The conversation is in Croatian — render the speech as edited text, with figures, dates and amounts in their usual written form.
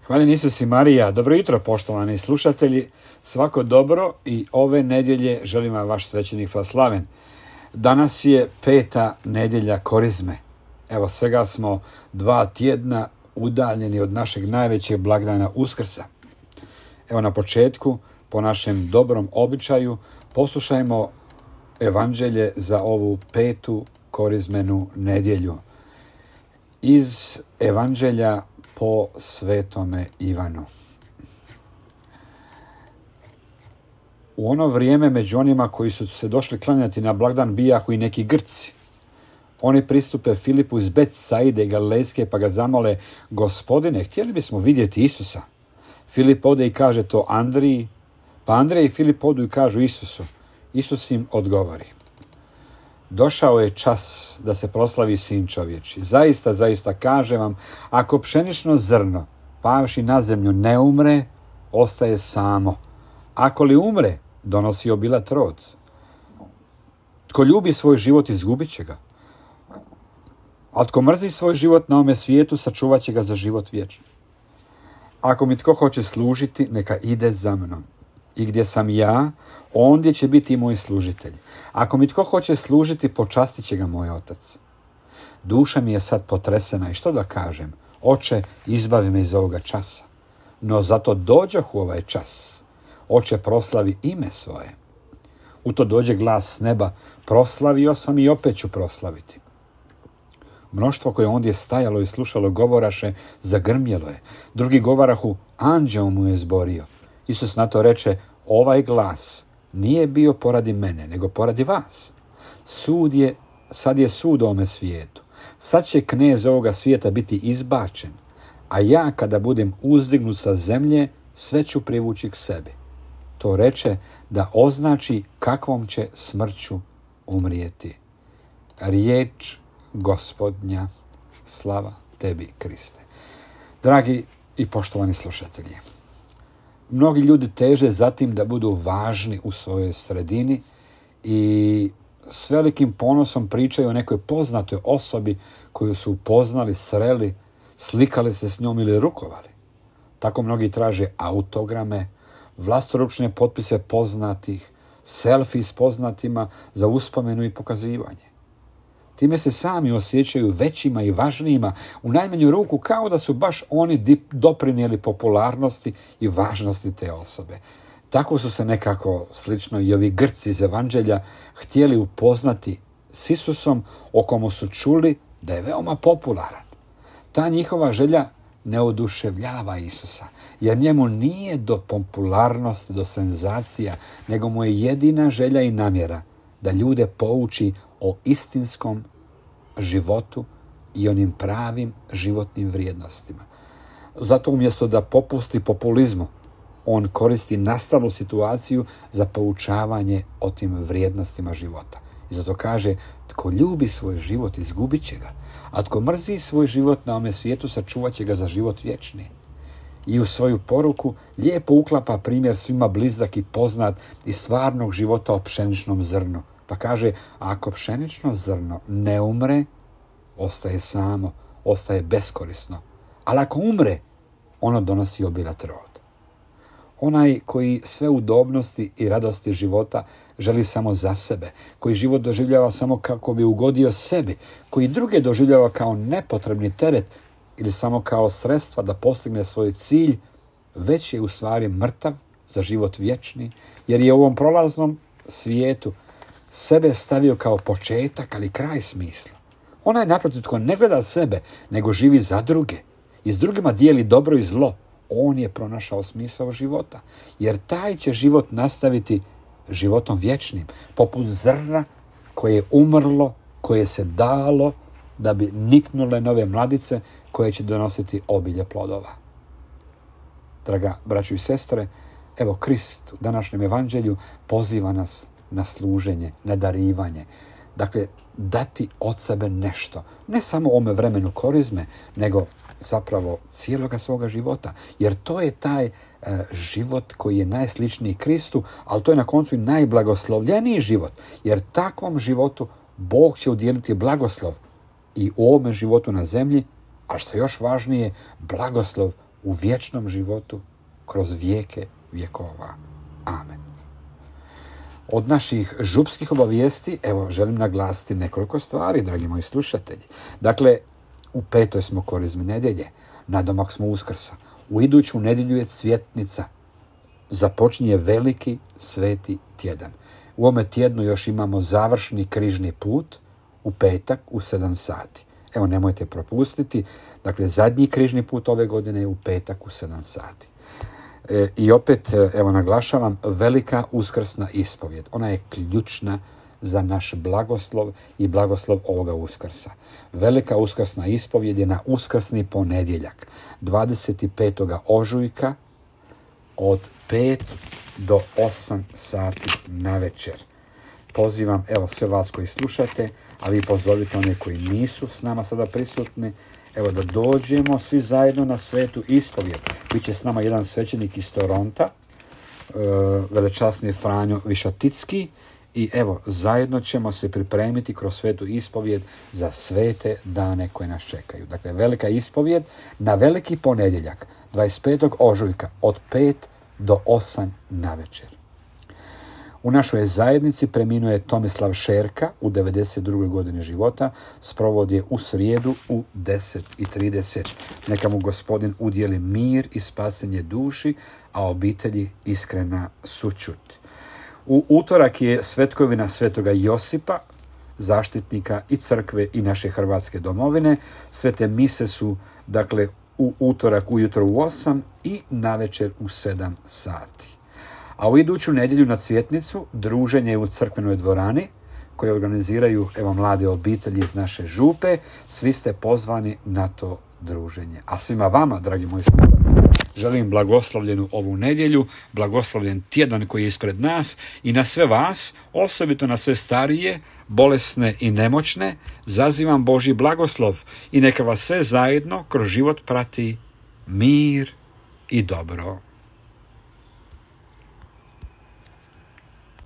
Hvala Isus i Marija. Dobro jutro, poštovani slušatelji. Svako dobro i ove nedjelje želim vam vaš svećenik Vaslaven. Danas je 5. nedjelja Korizme. Evo, svega smo 2 tjedna udaljeni od našeg najvećeg blagdana Uskrsa. Evo, na početku, po našem dobrom običaju, poslušajmo evanđelje za ovu 5. korizmenu nedjelju. Iz evanđelja po svetome Ivanu. U ono vrijeme među onima koji su se došli klanjati na blagdan bijahu i neki Grci. Oni pristupe Filipu iz Betsaide Galilejske pa ga zamole: Gospodine, htjeli bismo vidjeti Isusa. Filip ode i kaže to Andriji, pa Andrej i Filip odu i kažu Isusu. Isus im odgovori: Došao je čas da se proslavi Sin čovječi. Zaista, zaista kažem vam, ako pšenično zrno pavši na zemlju ne umre, ostaje samo. Ako li umre, donosi obilat rod. Tko ljubi svoj život, izgubit će ga. A tko mrzi svoj život na ovome svijetu, sačuvat će ga za život vječni. Ako mi tko hoće služiti, neka ide za mnom. I gdje sam ja, ondje će biti i moj služitelj. Ako mi tko hoće služiti, počastit će ga moj otac. Duša mi je sad potresena i što da kažem? Oče, izbavi me iz ovoga časa. No zato dođoh u ovaj čas. Oče, proslavi ime svoje. U to dođe glas s neba: proslavio sam i opet ću proslaviti. Mnoštvo koje ondje stajalo i slušalo govoraše, zagrmjelo je. Drugi govarahu, anđeo mu je zborio. Isus na to reče: ovaj glas nije bio poradi mene, nego poradi vas. Sad je sud u ovome svijetu. Sad će knez ovoga svijeta biti izbačen, a ja kada budem uzdignut sa zemlje, sve ću privući k sebi. To reče da označi kakvom će smrću umrijeti. Riječ Gospodnja, slava tebi, Kriste. Dragi i poštovani slušatelji, mnogi ljudi teže za tim da budu važni u svojoj sredini i s velikim ponosom pričaju o nekoj poznatoj osobi koju su upoznali, sreli, slikali se s njom ili rukovali. Tako mnogi traže autograme, vlastoručne potpise poznatih, selfie s poznatima za uspomenu i pokazivanje. Time se sami osjećaju većima i važnijima, u najmanju ruku kao da su baš oni doprinijeli popularnosti i važnosti te osobe. Tako su se nekako, slično i ovi Grci iz evanđelja, htjeli upoznati s Isusom, o komu su čuli da je veoma popularan. Ta njihova želja ne oduševljava Isusa, jer njemu nije do popularnosti, do senzacija, nego mu je jedina želja i namjera da ljude pouči o istinskom životu i onim pravim životnim vrijednostima. Zato umjesto da popusti populizmu, on koristi nastalu situaciju za poučavanje o tim vrijednostima života. I zato kaže: tko ljubi svoj život, izgubit će ga, a tko mrzi svoj život na ovome svijetu, sačuvat će ga za život vječni. I u svoju poruku lijepo uklapa primjer svima blizak i poznat iz stvarnog života o pšeničnom zrnu. Pa kaže: ako pšenično zrno ne umre, ostaje samo, ostaje beskorisno. Ali ako umre, ono donosi obilat rod. Onaj koji sve udobnosti i radosti života želi samo za sebe, koji život doživljava samo kako bi ugodio sebi, koji druge doživljava kao nepotrebni teret ili samo kao sredstva da postigne svoj cilj, već je u stvari mrtav za život vječni, jer je u ovom prolaznom svijetu sebe stavio kao početak, ali kraj smisla. Onaj naprotiv tko ne gleda sebe, nego živi za druge i s drugima dijeli dobro i zlo, on je pronašao smisao života, jer taj će život nastaviti životom vječnim, poput zrna koje je umrlo, koje se dalo da bi niknule nove mladice koje će donositi obilje plodova. Draga braćo i sestre, evo Krist u današnjem evanđelju poziva nas na služenje, na darivanje. Dakle, dati od sebe nešto. Ne samo u ome vremenu korizme, nego zapravo cijeloga svoga života. Jer to je taj život koji je najsličniji Kristu, ali to je na koncu i najblagoslovljeniji život. Jer takvom životu Bog će udijeliti blagoslov i u ovome životu na zemlji, a što je još važnije, blagoslov u vječnom životu kroz vijeke vjekova. Amen. Od naših župskih obavijesti, evo, želim naglasiti nekoliko stvari, dragi moji slušatelji. Dakle, u 5. smo korizme nedjelje, nadomak smo Uskrsa. U iduću nedjelju je Cvjetnica. Započinje veliki sveti tjedan. U ovome tjednu još imamo završni križni put u petak u 7 sati. Evo, nemojte propustiti. Dakle, zadnji križni put ove godine je u petak u 7 sati. I opet, evo, naglašavam, velika uskrsna ispovjed. Ona je ključna za naš blagoslov i blagoslov ovoga Uskrsa. Velika uskrsna ispovjed je na uskrsni ponedjeljak, 25. ožujka od 5 do 8 sati na večer. Pozivam, evo, sve vas koji slušate, a vi pozovite one koji nisu s nama sada prisutni, evo, da dođemo svi zajedno na svetu ispovjed. Biće s nama jedan svećenik iz Toronta, velečasni Franjo Višaticki, i evo, zajedno ćemo se pripremiti kroz svetu ispovjed za svete dane koje nas čekaju. Dakle, velika ispovjed na veliki ponedjeljak, 25. ožujka od 5 do 8 na večer. U našoj zajednici preminuo je Tomislav Šerka u 92. godini života, sprovod je u srijedu u 10:30. Neka mu Gospodin udjeli mir i spasenje duši, a obitelji iskrena sućut. U utorak je svetkovina svetoga Josipa, zaštitnika i crkve i naše Hrvatske domovine. Svete mise su, dakle, u utorak ujutro u 8 i navečer u 7 sati. A u iduću nedjelju na Cvjetnicu druženje u crkvenoj dvorani koje organiziraju, evo, mlade obitelji iz naše župe. Svi ste pozvani na to druženje. A svima vama, dragi moji slušatelji, želim blagoslovljenu ovu nedjelju, blagoslovljen tjedan koji je ispred nas, i na sve vas, osobito na sve starije, bolesne i nemoćne, zazivam Božji blagoslov i neka vas sve zajedno kroz život prati mir i dobro.